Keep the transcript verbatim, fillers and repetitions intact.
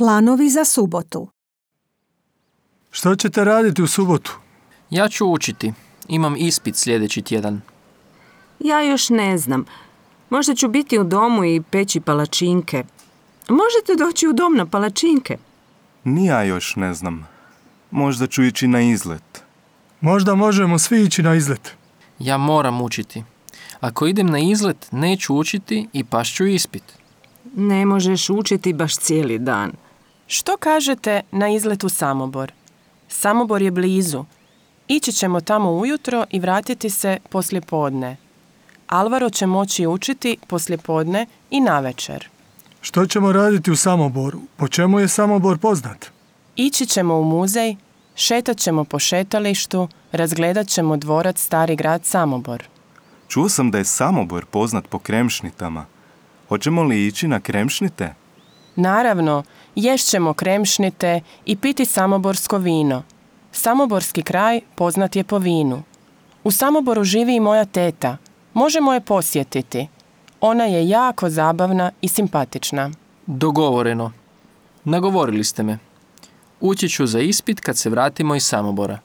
Planovi za subotu. Što ćete raditi u subotu? Ja ću učiti. Imam ispit sljedeći tjedan. Ja još ne znam. Možda ću biti u domu i peći palačinke. Možete doći u dom na palačinke? Ni ja još ne znam. Možda ću ići na izlet. Možda možemo svi ići na izlet. Ja moram učiti. Ako idem na izlet, neću učiti i pašću ispit. Ne možeš učiti baš cijeli dan. Što kažete na izlet u Samobor? Samobor je blizu. Ići ćemo tamo ujutro i vratiti se poslijepodne. Alvaro će moći učiti poslijepodne i navečer. Što ćemo raditi u Samoboru? Po čemu je Samobor poznat? Ići ćemo u muzej, šetat ćemo po šetalištu, razgledat ćemo dvorac Stari grad Samobor. Čuo sam da je Samobor poznat po kremšnitama. Hoćemo li ići na kremšnite? Naravno, ješćemo kremšnite i piti samoborsko vino. Samoborski kraj poznat je po vinu. U Samoboru živi i moja teta. Možemo je posjetiti. Ona je jako zabavna i simpatična. Dogovoreno. Nagovorili ste me. Ući ću za ispit kad se vratimo iz Samobora.